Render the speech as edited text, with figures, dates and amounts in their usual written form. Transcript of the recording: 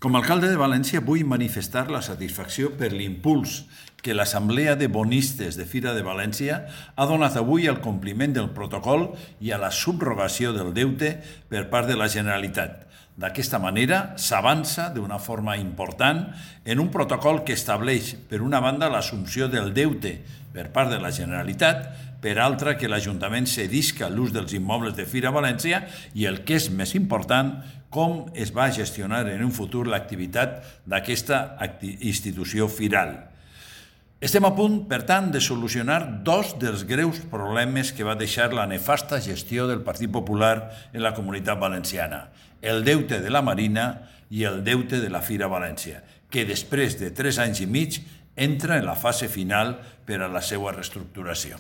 Com a alcalde de València vull manifestar la satisfacció per l'impuls que l'Assemblea de Bonistes de Fira de València ha donat avui al compliment del protocol i a la subrogació del deute per part de la Generalitat. D'aquesta manera s'avança d'una forma important en un protocol que estableix, per una banda, l'assumpció del deute per part de la Generalitat, per altra, que l'Ajuntament cedisca l'ús dels immobles de Fira València i, el que és més important, com es va gestionar en un futur l'activitat d'aquesta institució firal. Estem a punt, per tant, de solucionar dos dels greus problemes que va deixar la nefasta gestió del Partit Popular en la Comunitat Valenciana: el deute de la Marina i el deute de la Fira València, que després de 3 anys i mig entra en la fase final per a la seva reestructuració.